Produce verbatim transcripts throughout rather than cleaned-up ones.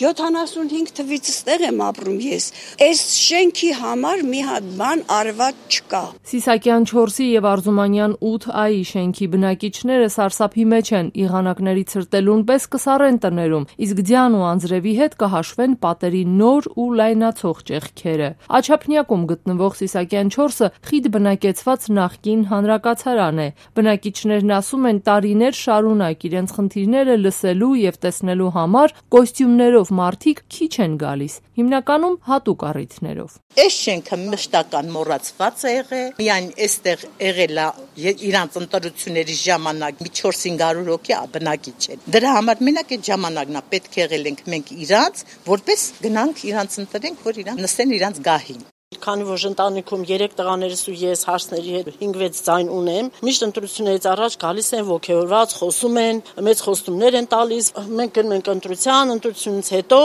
յոթանասունհինգ թվից ստեղ եմ ապրում ես։ Այս շենքի համար մի հատ բան արված չկա։ Սիսակյան չորսի եւ Արզումանյան ութ Ա-ի շենքի բնակիչները սարսափի մեջ են, եղանակների ցրտելուն պես կսառեն տներում, իսկ ձյան ու անձրևի հետ կհաշվեն պատերի նոր ու լայնացող ճեղքերը։ Աչափնյակում գտնվող Սիսակյան չորսը խիտ բնակեցված նախկին հանրակացարան է։ Բնակիչներն ասում են, տարիներ շարունակ իրենց խնդիրները լսելու եւ տեսնելու համար կոստյումներով մարդիկ քիչ են գալիս, հիմնականում հատուկ առիթներով։ Այս շենքը մշտական մոռացված է եղել, միայն այստեղ եղել է իրանց ընտրությունների ժամանակ մի չորս-հինգ հարյուր հոգի բնակիչ են։ Դրա համար մենակ այդ ժամանակն է պետք եղել ենք մենք իրանց, որպես գնանք իրանց ընտրենք, որ իրանք նստեն իրանց գահին։ Քանի որ ընտանիքում երեք տղաներս ու ես հարցների հետ հինգ-վեց ձայն ունեմ, միշտ ընտրություններից առաջ գալիս են ոգևորված, խոսում են, մեծ խոստումներ են տալիս, մենք գնում ենք ընտրության, ընտրությունից հետո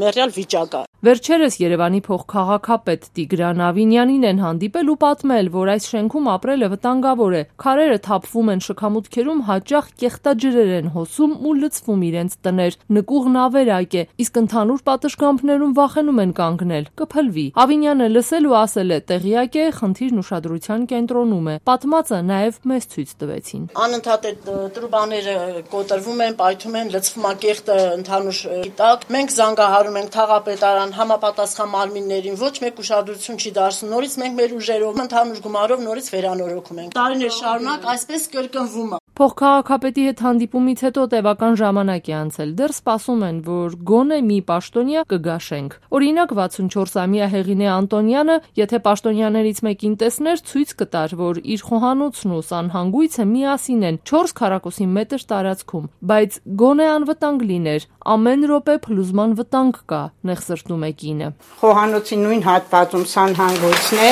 մեռյալ վիճակ է։ Վերջերս Երևանի փոխքաղաքապետ Տիգրան Ավինյանին են հանդիպել ու պատմել, որ այս շենքում ապրելը վտանգավոր է։ Քարերը թափվում են շքամուտքերում, հաճախ կեղտաջրեր են հոսում ու լցվում իրենց տներ։ Նկուղն ավերակ է, իսկ ընդհանուր պատշգամբներում վախենում են կանգնել, կփլվի։ Ավինյանը լսել ու ասել է, տեղյակ է, խնդիրն ուշադրության կենտրոնում է։ Պատմածը նաև մեզ ցույց տվեցին։ Անընդհատ այդ տրուբաները կոտրվում են, պայթում են, լցվում է կեղտը ընդհանուր տակ։ Մենք զանգահարում ենք թաղապետարան համապատասխան մարմիններին, ոչ մեկ ուշադրություն չի դարձնում։ Նորից մենք մեր ուժերով ընդհանուր գումարով նորից վերանորոգում ենք։ Տարիներ շարունակ այսպես կրկնվում է։ Փոխքաղաքապետի հետ հանդիպումից հետո տևական ժամանակ է անցել, դեռ սպասում են, որ գոնե մի պաշտոնյա կգա շենք։ Օրինակ վաթսունչորսամյա Հեղինե Անտոնյանը, եթե պաշտոնյաներից մեկին տեսներ, ցույց կտար, որ իր խոհանոցն ու սանհանգույցը միասին են չորս քառակուսի մետր տարածքում, բայց գոնե անվտանգ լիներ, ամեն րոպե փլուզման վտանգ կա, նեղսրտում է կինը։ Խոհանոցի նույն հատվածում սանհանգույցն է,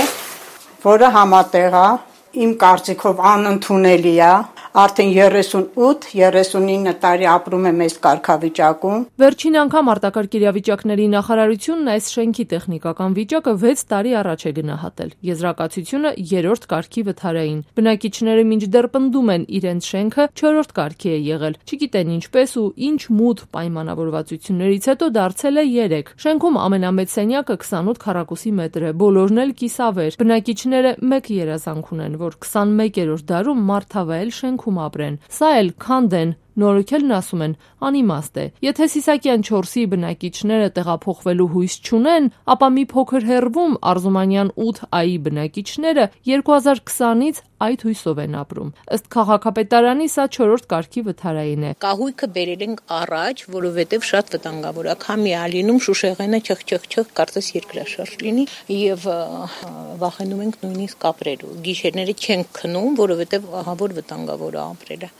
որը համատեղ է, իմ կարծիքով անընդունելի է։ Արդեն երեսունութ երեսունինը տարի ապրում եմ այս կարգավիճակում։ Վերջին անգամ արտակարգ իրավիճակների նախարարությունն այս շենքի տեխնիկական վիճակը վեց տարի առաջ է գնահատել։ Եզրակացությունը երրորդ կարգի վթարային։ Բնակիչները մինչդեռ պնդում են, իրենց շենքը չորրորդ կարգի է եղել։ Չգիտեն ինչպես ու ինչ մութ պայմանավորվածություններից հետո դարձել է երեք։ Շենքում ամենամեծ սենյակը քսանութ քառակուսի մետր է, բոլորն էլ կիսավեր։ Բնակիչները մեկ երազանք ունեն, որ քսանմեկերորդ դարում մարդավայել շենք ապրեն։ Սա էլ քանդ են, նորոգելն ասում են անիմաստ է։ Եթե Սիսակյան չորսի բնակիչները տեղափոխվելու հույս չունեն, ապա մի փոքր հեռվում Արզումանյան ութ Ա-ի բնակիչները երկու հազար քսանից այդ հույսով են ապրում։ Ըստ քաղաքապետարանի սա չորրորդ կարգի վթարային է։ Կահույքը բերել ենք առաջ, որովհետև շատ վտանգավոր է։ Քամի է լինում, շուշեղենը չխ-չխ-չխ կարծես երկրաշարժ լինի եւ վախենում ենք նույնիսկ ապրելու։ Գիշերները չենք քնում, որովհետև ահա որ վտանգավոր է ապրելը։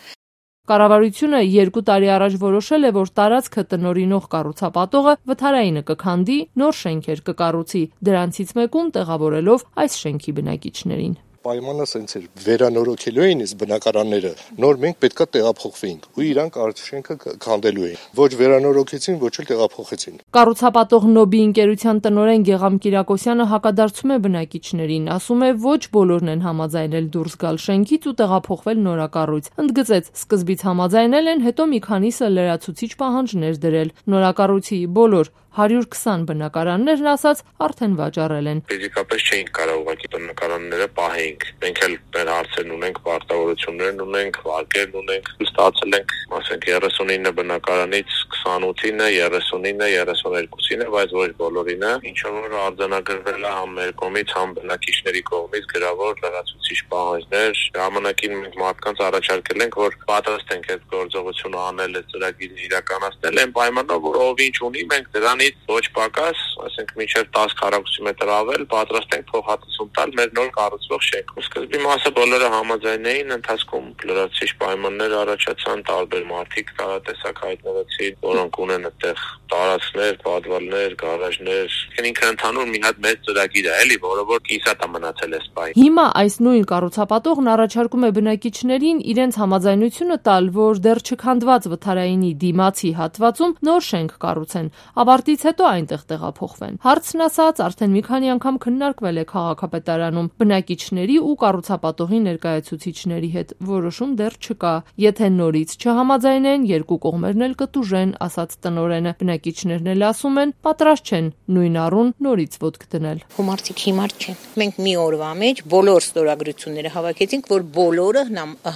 Կառավարությունը երկու տարի առաջ որոշել է, որ տարածքը տնօրինող կառուցապատողը վթարայինը կքանդի, նոր շենքեր կկառուցի, դրանցից մեկում տեղավորելով այս շենքի բնակիչներին։ Պայմանը սենց էր, վերանորոգելու էին այս բնակարանները, նոր մենք պետքա տեղափոխվեինք ու իրանք շենքը քանդելու էին։ Ոչ վերանորոգեցին, ոչ էլ տեղափոխեցին։ Կառուցապատող Նոբի ընկերության տնօրեն Գեգամ Կիրակոսյանը հակադարձում է բնակիչներին, ասում է, ոչ բոլորն են համաձայնել դուրս գալ շենքից ու տեղափոխվել նորակառույց։ Ընդգծեց, սկզբից համաձայնել են, հետո մի քանիսը լրացուցիչ պահանջներ դրել։ Նորակառույցի բոլոր հարյուր քսան բնակարաններն ասաց արդեն վաճառել են։ Ֆիզիկապես չէինք կարող ուղղակի բնակարանները պահենք։ Մենք էլ մեր հարցերն ունենք, պարտավորություններն ունենք, վարկերն ունենք։ Ստացել ենք, ասենք երեսունինը բնակարանից քսանութինը, երեսունինը, երեսուներկուսինը, բայց ոչ բոլորինը, ինչը որ արձանագրվել է համ մեր կողմից, համ բնակիչների կողմից գրավոր լրացուցիչ պահանջներ։ Ժամանակին մենք մարդկանց առաջարկել ենք, որ պատրաստ ենք այդ գործողությունը անել, այդ ծրագիրը իրականացնել, այն պայմանով, որ ով ինչ ունի, մենք դրան ոչ պակաս, ասենք մինչև տասը քառակուսի մետր ավել, պատրաստ ենք փոխհատուցում տալ մեր նոր կառուցվող շենքում։ Սկզբի մասը բոլորը համաձայն էին, ընթացքում լրացուցիչ պայմաններ առաջացան, տարբեր մարդիկ տարատեսակ հայտնվեցին, որոնք ունեն այդտեղ տարածքներ, պատվար սպիտալներ, գարաժներ, ինքը ընդհանուր մի հատ մեծ ծրագիր է, էլի, որը որ կիսատ է մնացել այս պահին։ Հիմա այս նույն կառուցապատողն առաջարկում է բնակիչներին իրենց համաձայնությունը տալ, որ դեռ չքանդված վթարայինի դիմացի հատվածում նոր շենք կառուցեն, ավարտից հետո այնտեղ տեղափոխվեն։ Հարցն ասած, արդեն մի քանի անգամ քննարկվել է քաղաքապետարանում բնակիչների ու կառուցապատողի ներկայացուցիչների հետ, որոշում դեռ չկա։ Եթե նորից չհամաձայնեն, երկու կողմերն էլ կտուժեն, ասաց տնօրենը։ Բնակիչներն էլ ասում են, պատրաստ չեն նույն առուն նորից ոտք դնել։ Մարդիկ հիմար չեն։ Մենք մի օրվա մեջ բոլոր ստորագրությունները հավաքեցինք, որ բոլորը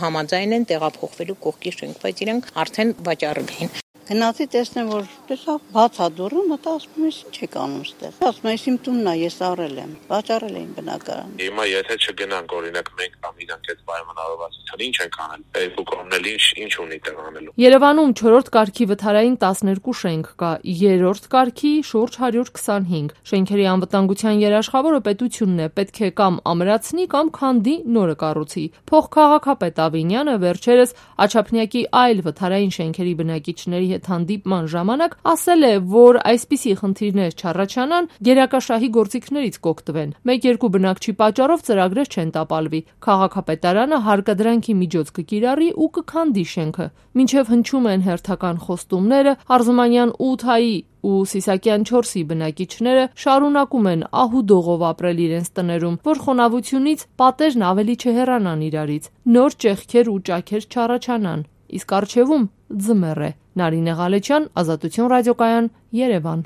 համաձայն են տեղափոխվելու կողքի շենք, բայց իրենք արդեն վաճառել են։ Գնացի տեսնեմ, որ տեսա բաց է դուռը, մտա ասում ես ինչ եք անում ստեղ։ Ասում ես իմ տունն է, ես առել եմ, վաճառել էին բնակարանը։ Հիմա եթե չգնանք, օրինակ մենք կամ իրանք այդ պայմանավորվածության ինչ ենք անել, երկու կողմն էլ ինչ ինչ ունի տեղ անելու։ Երևանում չորրորդ կարգի վթարային տասներկու շենք կա, երրորդ կարգի շուրջ հարյուր քսանհինգ։ Շենքերի անվտանգության երաշխավորը պետությունն է, պետք է կամ ամրացնի կամ քանդի, նորը կառուցի։ Փոխքաղաքապետ Ավինյանը վերջերս Աչափնյակի այլ վթարային շենքերի բնակիչների հետ հանդիպման ժամանակ ասել է, որ այսպիսի խնդիրներ չառաջանան, գերակաշահի գործիքներից կօգտվեն։ Մեկ-երկու բնակչի պատճառով ծրագրեր չեն տապալվի։ Քաղաքապետարանը հարկադրանքի միջոց կկիրառի ու կքանդի շենքը։ Մինչև հնչում են հերթական խոստումները, Արզումանյան ութ-ի ու Սիսակյան չորսի բնակիչները շարունակում են ահուդողով ապրել իրենց տներում, որ խոնավությունից պատերն ավելի չհեռանան իրարից, նոր ճեղքեր ու ճաքեր չառաջանան։ Իսկ առջևում ձմեռ է։ Նարինե Ղալեչյան, Ազատություն ռադիոկայան, Երևան։